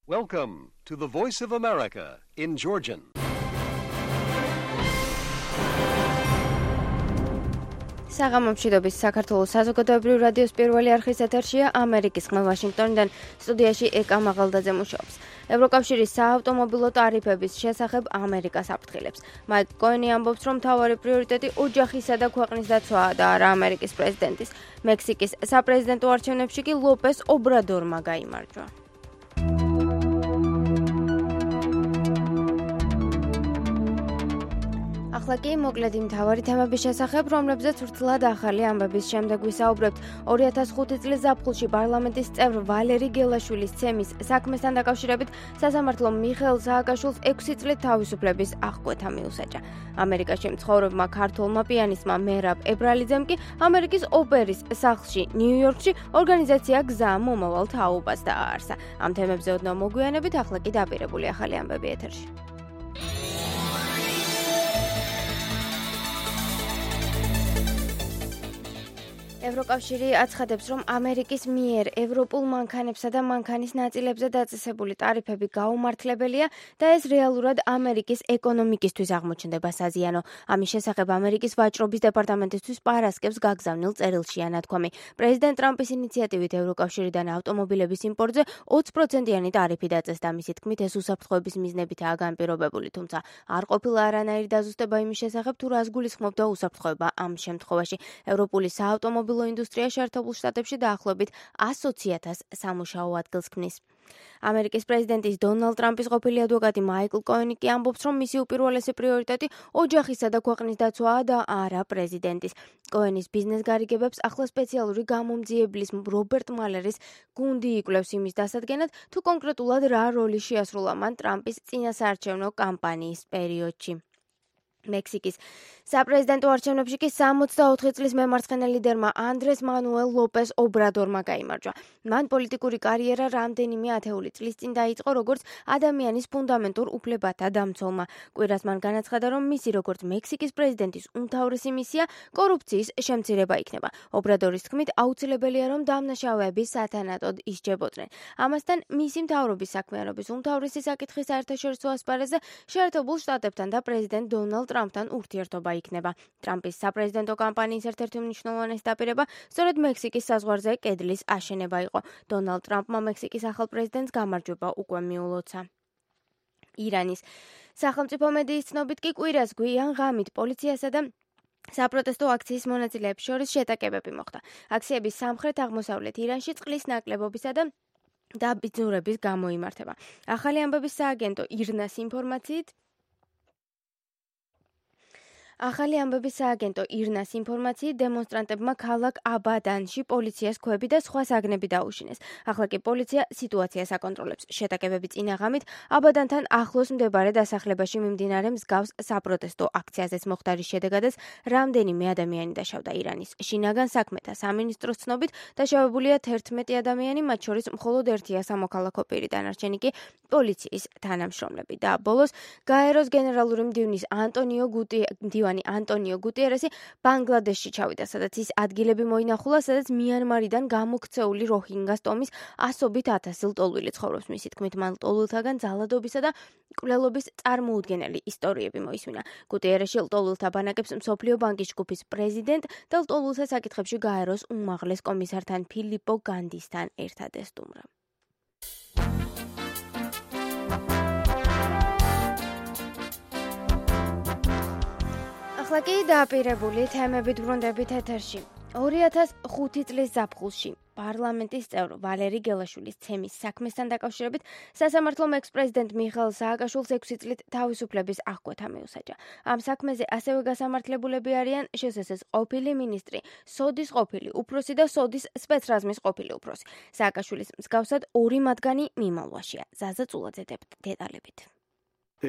Welcome to the Voice of America in Georgian. საღამომშვიდობის საქართველოს საზოგადოებრივ რადიოს პირველი არხის ეთერშია ამერიკის ხმა ვაშინგტონიდან სტუდიაში ეკა მაღალდაძე მუშაობს. ევროკავშირის საავტომობილო ტარიფების შესახებ ამერიკას აფრთხილებს. მაიკ კოენი ამბობს, რომ მთავარი პრიორიტეტი ოჯახისა და ქვეყნის დაცვაა და არა ამერიკის პრეზიდენტის. მექსიკის საპრეზიდენტო არჩევნებში კი ლოპეს ობრადორმა გაიმარჯვა. ახლა კი მოკლედ იმ მთავარი თემების შესახებ, რომლებზეც ვრცლად ახალი ამბების შემდეგ ვისაუბრებთ. 2005 წლის ზაფხულში პარლამენტის წევრ ვალერი გელაშვილის ცემის საქმესთან დაკავშირებით სასამართლომ მიხეილ სააკაშვილს 6 წლით თავისუფლების აღკვეთა მიუსაჯა. ამერიკაში მცხოვრებმა ქართველმა პიანისტმა მერაბ ებრალიძემ კი ამერიკის ოპერის სახლში ნიუ-იორკში ორგანიზაცია გზა მომავალ თაობას დააარსა. ამ თემებზე ოდნავ მოგვიანებით, ახლა კი დაპირებული ახალი ამბები ეთერში. ევროკავშირი აცხადებს, რომ ამერიკის მიერ ევროპულ მანქანებსა და მანქანის ნაწილებზე დაწესებული ტარიფები გაუმართლებელია და ეს რეალურად ამერიკის ეკონომიკისთვის აღმოჩნდება საზიანო. ამის შესახებ ამერიკის ვაჭრობის დეპარტამენტისთვის პარასკევს გაგზავნილ წერილშია ნათქვამი. პრეზიდენტ ტრამპის ინიციატივით ევროკავშირიდან ავტომობილების იმპორტზე 20%-იანი ტარიფი დაწესდა. მისი თქმით, ეს უსაფრთხოების მიზნებითაა განპირობებული, თუმცა არ ყოფილა არანაირი დაზუსტება იმის შესახებ, თუ რას გულისხმობდა უსაფრთხოება ამ შემთხვევაში. ევროპული საავტომობილო ინდუსტრია შეერთებულ შტატებში დაახლოებით 120,000 სამუშაო ადგილს ქმნის. ამერიკის პრეზიდენტის დონალდ ტრამპის ყოფილი ადვოკატი მაიკლ კოენი კი ამბობს, რომ მისი უპირველესი პრიორიტეტი ოჯახისა და ქვეყნის დაცვაა და არა პრეზიდენტის. კოენის ბიზნეს გარიგებებს ახლა სპეციალური გამომძიებლის რობერტ მალერის გუნდი იკვლევს იმის დასადგენად, თუ კონკრეტულად რა როლი შეასრულა მან ტრამპის წინასაარჩევნო კამპანიის პერიოდში. მექსიკის საპრეზიდენტო არჩევნებში კი 64 წლის მემარცხენე ლიდერმა ანდრეს მანუელ ლოპეს ობრადორმა გაიმარჯვა. მან პოლიტიკური კარიერა რამდენიმე ათეული წლის წინ დაიწყო როგორც ადამიანის ფუნდამენტურ უფლებათა დამცველმა. კვირას მან განაცხადა, რომ მისი როგორც მექსიკის პრეზიდენტის უმთავრესი მისია კორუფციის შემცირება იქნება. ობრადორის თქმით, აუცილებელია, რომ დამნაშავეები სათანადოდ ისჯებოდნენ. ამასთან მისი მთავრობის საქმიანობის უმთავრესი საკითხი საერთაშორისო ასპარეზზე შეერთებულ შტატებთან და პრეზიდენტ დონალდ ტრამპთან ურთიერთობა იქნება. ტრამპის საპრეზიდენტო კამპანიის ერთ-ერთი უმნიშვნელოვანესი დაპირება სწორედ მექსიკის საზღვარზე კედლის აშენება იყო. დონალდ ტრამპმა მექსიკის ახალ პრეზიდენტს გამარჯვება უკვე მიულოცა. ირანის სახელმწიფო მედიის ცნობით კი კვირას გვიან ღამით პოლიციასა და საპროტესტო აქციის მონაწილეებს შორის შეტაკებები მოხდა. აქციების სამხრეთ-აღმოსავლეთ ირანში წყლის ნაკლებობისა და დაბინძურების გამო იმართება. ახალი ამბების სააგენტო ირნას ინფორმაციით დემონსტრანტებმა ქალაქ აბადანში პოლიციას ქვები და სხვა საგნები დაუშინეს. ახლა კი პოლიცია სიტუაციას აკონტროლებს. შეტაკებები წინა ღამით აბადანთან ახლოს მდებარე დასახლებაში მიმდინარე მსგავს საპროტესტო აქციაზეც მოხდარის შედეგადაც რამდენიმე ადამიანი დაშავდა. ირანის შინაგან საქმეთა სამინისტროს ცნობით დაშავებულია 11 ადამიანი, მათ შორის მხოლოდ ერთია სამოქალაქო პირი, დანარჩენი კი პოლიციის თანამშრომლები. და ბოლოს გაეროს გენერალური მდივნის ანტონიო გუტიერესი ბანგლადეშში ჩავიდა, სადაც ის ადგილები მოინახულა, სადაც მიანმარიდან გამოქცეული როჰინგას ტომის ასობით ათასი ლტოლვილი ცხოვრობს. მისი თქმით, მან ლტოლვილთაგან ძალადობისა და მკვლელობის წარმოუდგენელი ისტორიები მოისმინა. გუტიერესი ლტოლვილთა ბანაკებს მსოფლიო ბანკის ჯგუფის პრეზიდენტ და ლტოლვილთა საკითხებში გაეროს უმაღლეს კომისართან ფილიპო განდისთან ერთად ესტუმრა. ახლა კი დაპირებული თემებით ვრუნდებით ეთერში. 2005 წლის ზაფხულში პარლამენტის წევრ ვალერი გელაშვილის ცემის საქმესთან დაკავშირებით სასამართლომ ექს-პრეზიდენტ მიხეილ სააკაშვილს 6 წლით თავისუფლების აღკვეთა მიუსაჯა. ამ საქმეზე ასევე გასამართლებულები არიან შსს ყოფილი მინისტრი, სოდის ყოფილი უფროსი და სოდის სპეცრაზმის ყოფილი უფროსი. სააკაშვილის მსგავსად ორი მათგანი მიმალვაშია. ზაზა წულაძე დეტალებით.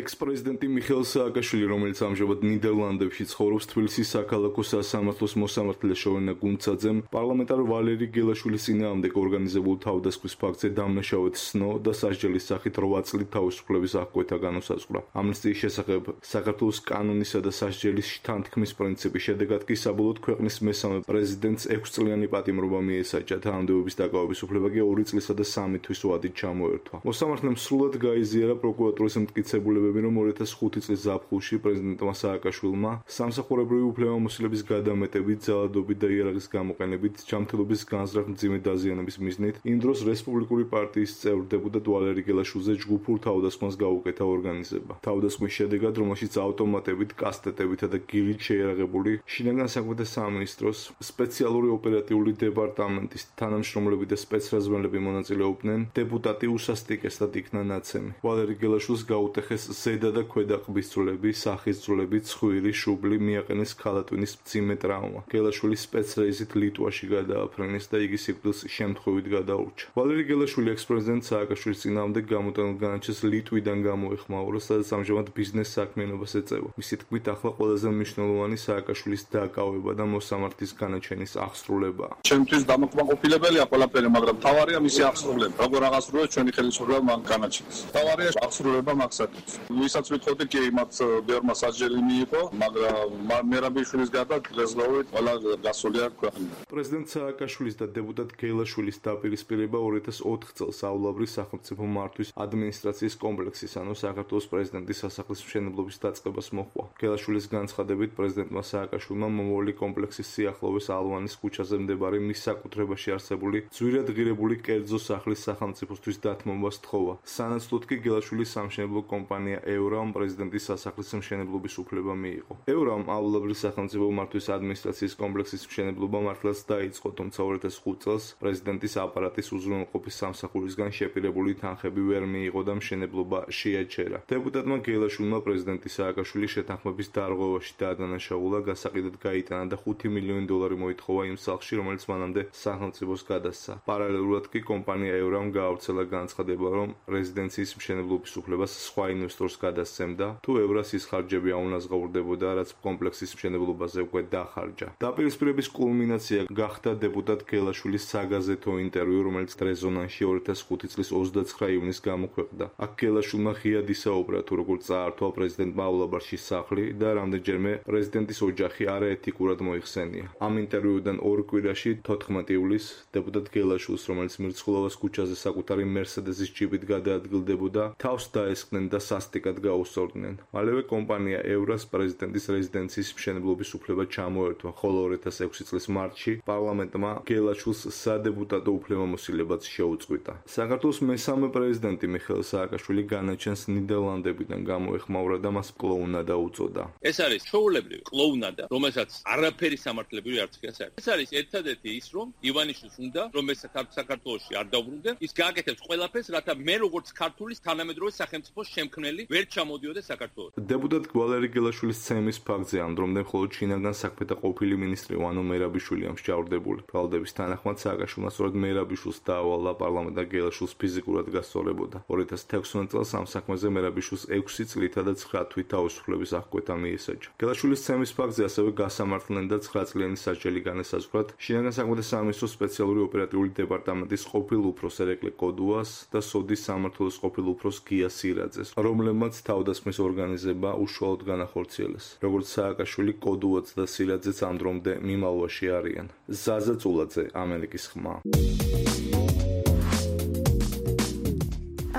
ექს-პრეზიდენტი მიხეილ სააკაშვილი, რომელიც ამჟამად ნიდერლანდებში ცხოვრობს, თბილისის საქალაქო სასამართლოს მოსამართლე შოვენა გუნცაძემ პარლამენტარ ვალერი გელაშვილის წინააღმდეგ ორგანიზებულ თავდასხმის ფაქტზე დამნაშავედ სნო და სასჯელის სახით 8 წლით თავისუფლების აღკვეთა განუსაზღვრა. ამნისტიის შესახებ საქართველოს კანონისა და სასჯელის შთანთქმის პრინციპის შედეგად კი საბოლოოდ ქვეყნის მესამე პრეზიდენტს 6 წლიანი პატიმრობა მიესაჯა. თანამდებობის დაკავების უფლება კი 2 წლისა და 3 თვის ვადით ჩამოერთვა. მოსამართლემ სრულად გაიზიარა პროკურატურის მტკიცებულებები, რომ 2005 წლის ზაფხულში პრეზიდენტმა სააკაშვილმა სამსახურებრივი უფლებამოსილების გადამეტებით, ძალადობით და იარაღის გამოყენებით, ჯანმრთელობის განზრახ მძიმე დაზიანების მიზნით იმ დროს რესპუბლიკური პარტიის წევრ დეპუტატ ვალერი გელაშვილზე ჯგუფურ თავდასხმას გაუკეთა ორგანიზება. თავდასხმის შედეგად, რომელშიც ავტომატებით, კასტეტებითა და გილით შეიარაღებული შინაგან საქმეთა სამინისტროს სპეციალური ოპერატიული დეპარტამენტის თანამშრომლები და სპეცრაზმელები მონაწილეობდნენ, დეპუტატი უსასტიკესად იქნა ნაცემი. ვალერი გელაშვილს გაუტეხეს ზედა და ქვედა ყბის ძვლები, სახის ძვლები, ცხვირი, შუბლი, მიაყენეს ქალატვინის მძიმე ტრავმა. გელაშვილი სპეცრეიზით ლიტვაში გადააფრენეს და იგი სიკვდილს შემთხვევით გადაურჩა. ვალერი გელაშვილი ექს-პრეზიდენტ სააკაშვილის წინააღმდეგ გამოტანილ განაჩენს ლიტვიდან გამოეხმაურა, სადაც ამჟამად ბიზნეს საქმიანობას ეწევა. მისი თქმით, ახლა ყველაზე მნიშვნელოვანი სააკაშვილის დაკავება და მოსამართლის განაჩენის აღსრულებაა. ჩემთვის დამაკმაყოფილებელია ყველაფერი, მაგრამ თავარია მისი აღსრულება. როგორ აღასრულებს ჩვენი ხელისუფლება მან განაჩენს. თავარია აღსრულება მაგსაკეთებს. ვისაც ვითხოვდი კი იმათ ბევრმა სასჯელი მიიღო, მაგრამ მერაბიშვილის გარდა დღესდღეობით ყველა გასულია ქვეყანა. პრეზიდენტ სააკაშვილის და დეპუტატ გელაშვილის დაპირისპირება 2004 წელს აულაბრის სახელმწიფო მართვის ადმინისტრაციის კომპლექსის, ანუ საქართველოს პრეზიდენტის სასახლის მშენებლობის დაწყებას მოჰყვა. გელაშვილის განცხადებით, პრეზიდენტმა სააკაშვილმა მომავალი კომპლექსის სიახლოვეს ალვანის ქუჩაზე მდებარე მის საკუთრებაში არსებული ძვირად ღირებული კერძო სახლის სახელმწიფოსთვის დათმობა სთხოვა. სანაცვლოდ კი გელაშვილის სამშენებლო კომპანია ევრამ პრეზიდენტის სასახლის მშენებლობის უფლება მიიღო. ევრამ აულაბრის სახელმწიფო მართვის ადმინისტრაციის კომპლექსის მშენებლობა მართლაც დაიწყო, თუმცა 2005 წელს პრეზიდენტის აპარატის უზრუნველყოფის სამსახურისგან შეპირებული თანხები ვერ მიიღო და მშენებლობა შეაჩერა. დეპუტატმა გელაშვილმა პრეზიდენტი სააკაშვილის შეთანხმების დარღვევაში დაადანაშაულა, გასაყიდად გაიტანა და $5 მილიონი მოითხოვა იმ სახლში, რომელიც მანამდე სახელმწიფოს გადასცა. პარალელურად კი კომპანია ევრამ გაავრცელა განცხადება, რომ რეზიდენციის მშენებლობის უფლებას სხვა ინვესტორს გადასცემდა, თუ ევრას ის ხარჯები აუნაზღაურდებოდა, რაც კომპლექსის მშენებლობაზე უკვე დახარჯა. დაპირისპირების კულმინაცია გახდა დეპუტატ გელაშვილის საგაზეთო ინტერვიუ, რომელიც რეზონანსში 2005 წლის 29 ივნისს გამოქვეყნდა. აქ გელაშვილმა ღიად ისაუბრა, თუ როგორ წაართვა პრეზიდენტმა აულაბარში სახლი და რამდენჯერმე პრეზიდენტის ოჯახი არაეთიკურად მოიხსენია. ამ ინტერვიუდან 2 კვირაში 14 ივლისს დეპუტატ გელაშვილს, რომელიც მირცხულოვას ქუჩაზე საკუთარი მერსედესის ჯიპით გადაადგილდებოდა, თავს დაესხნენ და სასტიკად გაუსწორდნენ. მალევე კომპანია ევრას პრეზიდენტის რეზიდენციის მშენებლობის უფლება ჩამოერთვა, ხოლო 2006 წლის მარტში პარლამენტმა გელაშვილს სადეპუტატო უფლებამოსილებაც შეუწყვიტა. საქართველოს მესამე პრეზიდენტი მიხეილ სააკაშვილი განაჩენს ნიდერლანდებიდან გამოეხმაურა და მას კლოუნადა უწოდა. ეს არის ჩვეულებრივი კლოუნადა, რომელსაც არაფერი სამართლებრივი არცქიას არ. ეს არის ერთადერთი ის, რომ ივანიშვილს უნდა, რომ ეს საქართველოში არ დაუბრუნდნენ, ის გააკეთებს ყველაფერს, რათა მე როგორც ქართულის თანამედროვე სახელმწიფოს შემქმნელი ვერ ჩამოდიოდა საქართველოში. დეპუტატ ვალერი გელაშვილის ცემის ფაქტზე ამდრომდე მხოლოდ შინაგან საქმეთა ყოფილი მინისტრი ვანო მერაბიშვილი ამსჯავრდებული. ბრალდების თანახმად სააკაშვილმა სწორედ მერაბიშვილს დაავალა პარლამენტმა გელაშვილს ფიზიკურად გასწორებოდა. 2016 წელს ამ საქმეზე მერაბიშვილს 6 წლითა და 9 თვით თავისუფლების აღკვეთა მიესაჯა. გელაშვილის ცემის ფაქტზე ასევე გასამართლდნენ და 9 წლიანი სასჯელი განესაზღვრათ შინაგან საქმეთა სამინისტროს სპეციალური ოპერატიული დეპარტამენტის ყოფილ უფროს ერეკლე კოდუას და სოდის სამმართველოს ყოფილ უფროს გია სირაძეს, რომლებმაც თავდასხმის ორგანიზება უშუალოდ განახორციელეს. როგორც სააკაშვილი, კოდუაც და სირაძეც ამდრომდე მიმალვაში არიან. ზაზა წულაძე, ამერიკის ხმა.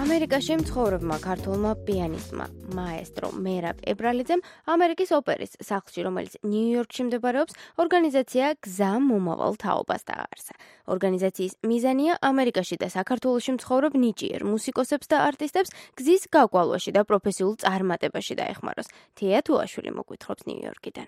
ამერიკაში მცხოვრებმა ქართველმა პიანისტმა, მაესტრო მერაბ ებრალიძემ ამერიკის ოპერის სახლში, რომელიც ნიუ-იორკში მდებარეობს, ორგანიზაცია გზა მომავალ თაობას დააარსა. ორგანიზაციის მიზანია ამერიკაში და საქართველოში მცხოვრებ ნიჭიერ მუსიკოსებს და არტისტებს გზის გაგვალვაში და პროფესიულ წარმატებაში დაეხმაროს. თეა თუაშვილი მოგვითხრობს ნიუ-იორკიდან.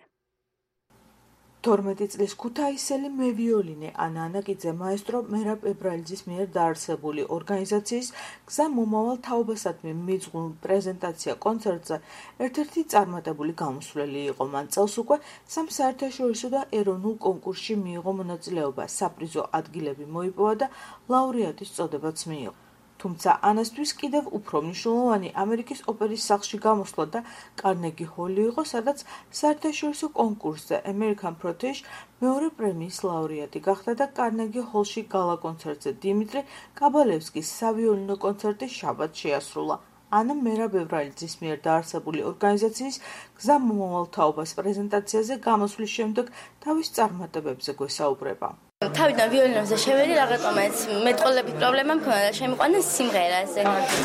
12 წლის ქუთაისელი მევიოლინე ანა ანაკიძე მაესტრო მერაბ ებრალიძის მიერ დაარსებული ორგანიზაციის გზა მომავალ თაობასადმი მიძღვნილ პრეზენტაცია კონცერტზე ერთ-ერთი წარმატებული გამოსვლელი იყო. მან წელს უკვე 3 საერთაშორისო და ეროვნულ კონკურსში მიიღო მონაწილეობა, საპრიზო ადგილები მოიპოვა და ლაურეატის წოდებაც მიიღო. თუმცა ანასთვის კიდევ უფრო მნიშვნელოვანი ამერიკის ოპერის სახლში გამოსვლა და კარნეგი ჰოლი იყო, სადაც საერთაშორისო კონკურსზე American Protege მეორე პრემიის ლაურეატი გახდა და კარნეგი ჰოლში გალა კონცერტზე დიმიტრი კაბალევსკის სავიოლინო კონცერტი შაბათს შეასრულა. ანა მერაბევრალიძის მიერ დაარსებული ორგანიზაციის გზა მომავალ თაობას პრეზენტაციაზე გამოსვლის შემდეგ თავის წარმატებებზე გვესაუბრება. თავიდან ვიოლინოზე შევედი, რაღაცომაც მეტყოლებით პრობლემა მქონდა და შემიყვანა სიმღერაზე.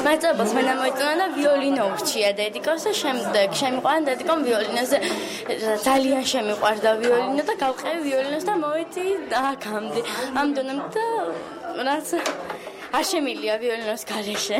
მაწერებელს მე მოიწონა და ვიოლინო ურჩია დედიკოს და შემდეგ შემიყვანა დედიკომ ვიოლინოზე. ძალიან შემიყვარდა ვიოლინო და გავყევი ვიოლინოს და მოვედი აქამდე. ამ დონემდე და რაც არ შემილია ვიოლინოს გარეშე.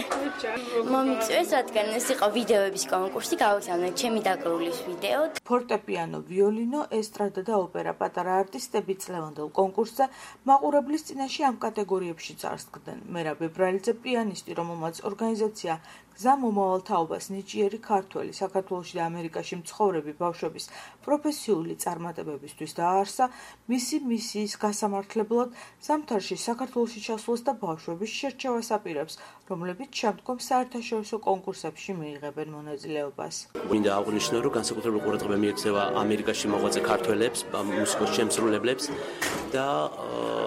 მომიწვიეს, რადგან ეს იყო ვიდეოების კონკურსი, გავიგზავნე ჩემი დაკრულის ვიდეო. ფორტეპიანო, ვიოლინო, ესტრადა და ოპერა პატარა არტისტები წლევანდელ კონკურსზე მაყურებლის წინაშე ამ კატეგორიებში წარსდგნენ. მერაბ ებრალიძე პიანისტი, რომელმაც ორგანიზაცია გზა მომავალ თაობას ნიჭიერი ქართველი საქართველოში და ამერიკაში მცხოვრები ბავშვების პროფესიული წარმატებებისთვის დააარსა, მისი მისიის გასამართლებლად ზამთარში საქართველოში ჩასვლას და ბავშვების შერჩევას აპირებს, რომლებიც შემდგომ საერთაშორისო კონკურსებში მიიღებენ მონაწილეობას. მინდა აღვნიშნო, რომ განსაკუთრებული ყურადღება მიექცევა ამერიკაში მოღვაწე ქართველებს, მუსიკოს შემსრულებლებს და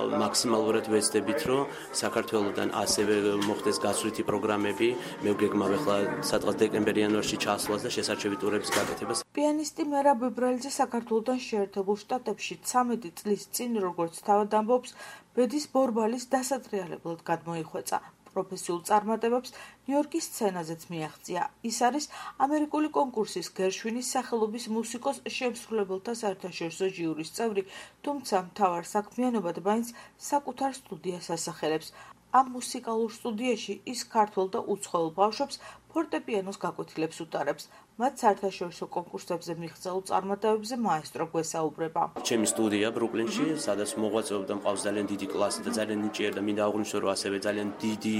მაქსიმალურად ვეცდებით, რომ საქართველოდან ასევე მოხდეს გასვლითი პროგრამები, მე ვგეგმავ ახლა სადღაც დეკემბერ-იანვარში ჩასვლას და შესარჩევი ტურების გაკეთებას. პიანისტი მერაბ ებრალიძე საქართველოდან შეერთებულ შტატებში 13 წლის წინ, როგორც თავად ამბობს, ბედის ბორბალის დასატრიალებლად გადმოიხვეწა. პროფესიულ წარმატებებს ნიუ-იორკის სცენაზეც მიაღწია. ის არის ამერიკული კონკურსის გერშვინის სახელობის მუსიკოს შემსრულებელთა საერთაშორისო ჟიურის წევრი, თუმცა მთავარ საქმიანობად მაინც საკუთარ სტუდიას ასახელებს. ამ მუსიკალურ სტუდიაში ის ქართველ და უცხოელ ბავშვებს ფორტეპიანოს გაკვეთილებს უტარებს. მათ საერთაშორისო კონკურსებზე მიღწეულ წარმატებებზე მაესტრო გვესაუბრება. ჩემი სტუდია ბრუკლინში, სადაც მოღვაწეობდა მყავს ძალიან დიდი კლასი და ძალიან ნიჭიერი და მინდა აღვნიშნო, რომ ასევე ძალიან დიდი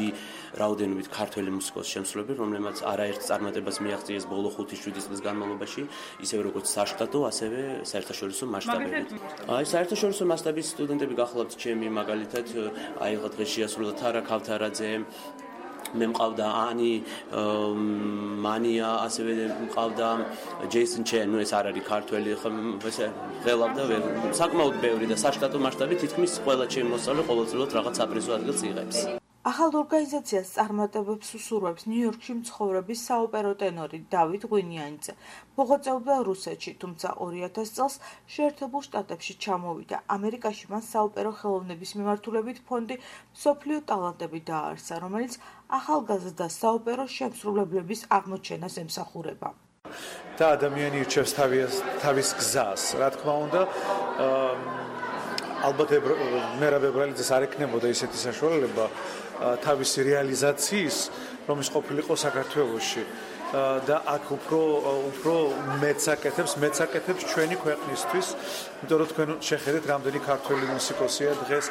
რაოდენობით ქართველი მუსიკოსი შემსრულებელი, რომლებმაც არაერთ წარმატებას მიაღწიეს ბოლო 5-7 წლის განმავლობაში, ისევე როგორც საშტატო, ასევე საერთაშორისო მასშტაბებით. საერთაშორისო მასშტაბის სტუდენტები გახლავთ ჩემი, მაგალითად, ახლა დღეს შეასრულა თარა ქავთარაძე, მე მყავდა ანი მანია, ასევე მყავდა ჯეისონ ჩენ, ეს არ არის ქართველი, ესე ღელავდა საკმაოდ ბევრი და საშტატო მასშტაბით თითქმის ყველა ჩემი მოსწავლე ყოველწლიურად რაღაც აპრიზო ადგილს იღებს. ახალ ორგანიზაციას წარმატებებს უსურვებს ნიუ-იორკში მცხოვრების საოპერო ტენორი დავით ღვინიანიძე. მოღვაწეობდა რუსეთში, თუმცა 2000 წელს შეერთებულ შტატებში ჩამოვიდა. ამერიკაში მან საოპერო ხელოვნების მიმართულებით ფონდი მსოფლიო ტალანტები დააარსა, რომელიც ახალგაზრდა საოპერო შემსრულებლების აღმოჩენას ემსახურება. და ადამიანი ირჩევს თავის გზას, რა თქმა უნდა, ალბათ მერაბ ებრალიძეს არ ექნებოდა ისეთი საშუალება თავისი რეალიზაციის, რომელიც ყოფილიყო საქართველოში და აქ უფრო მეცაკეთებს ჩვენი ქვეყნისთვის, იმიტომ რომ თქვენ შეხედეთ, რამდენი ქართველი მუსიკოსია დღეს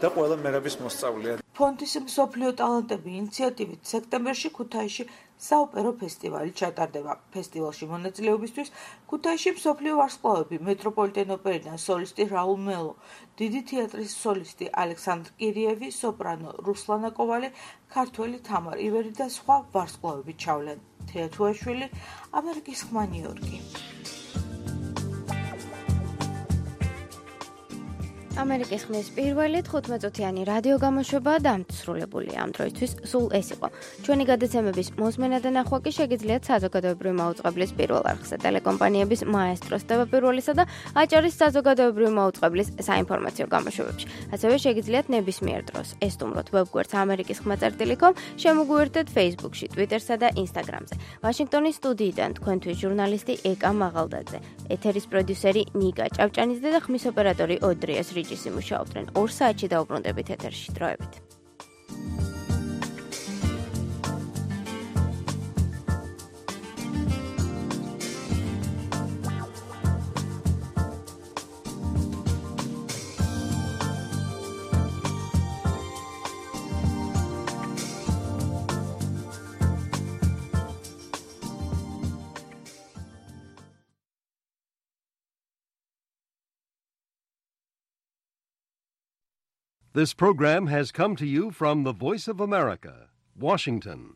და ყველა მერაბის მოსწავლეა. ფონდის მსოფლიო ტალანტები ინიციატივით სექტემბერში ქუთაისში საოპერო ფესტივალი ჩატარდება. ფესტივალში მონაწილეობისთვის ქუთაისში მსოფლიო ვარსკვლავები, მეტროპოლიტენ ოპერიდან სოლისტი რაულ მელო, დიდი თეატრის სოლისტი ალექსანდრ კირიევი, სოპრანო რუსლანა კოვალი, ქართველი თამარ ივერი და სხვა ვარსკვლავები ჩავლენ. თეათუაშვილი, ამერიკის ხმა ნიუ-იორკი. ამერიკის ხმის პირველი 15-წუთიანი რადიო გამოშვება დამსრულებული ამ დროისთვის სულ ეს იყო. ჩვენი გადაცემების მოსმენა და ნახვა კი შეგიძლიათ საზოგადოებრივი მაუწყებლის პირველ არხზე, ტელეკომპანიების მაესტროს ტელეპირველისა და აჭარის საზოგადოებრივი მაუწყებლის საინფორმაციო გამოშვებებში. ასევე შეგიძლიათ ნებისმიერ დროს ესტუმროთ ვებგვერდს amerikiskhma.com, შემოგვიერთდეთ Facebook-ში, Twitter-სა და Instagram-ზე. ვაშინგტონის სტუდიიდან თქვენთვის ჟურნალისტი ეკა მაღალდაძე, ეთერის პროდიუსერი ნიკა ჭავჭანიძე და ხმის ოპერატორი ოდრიას ρίჯისი მუშაობდნენ. 2 საათში დაუბრუნდებით ეთერში. დროებით. This program has come to you from the Voice of America, Washington.